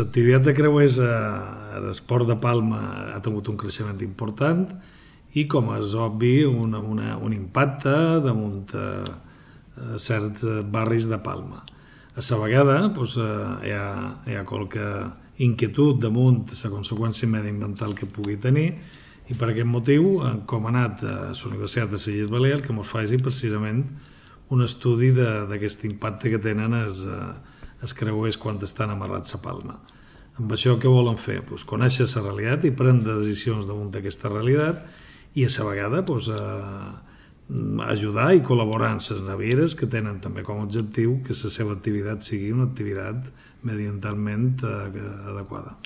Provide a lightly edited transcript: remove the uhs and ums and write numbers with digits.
l'activitat de creuers a l'esport de Palma ha tingut un creixement important i, com és obvi, un impacte damunt certs barris de Palma. A la vegada hi ha qualque inquietud damunt la conseqüència mediambiental que pugui tenir, i per aquest motiu com ha anat a la Universitat de les Illes Balears que ens faci precisament un estudi d'aquest impacte que tenen els creuers quan estan amarrats a Palma. Amb això què volen fer? Conèixer la realitat i prendre decisions damunt d'aquesta realitat i a la vegada ajudar i col·laborar amb les navieres que tenen també com a objectiu que la seva activitat sigui una activitat mediambientalment adequada.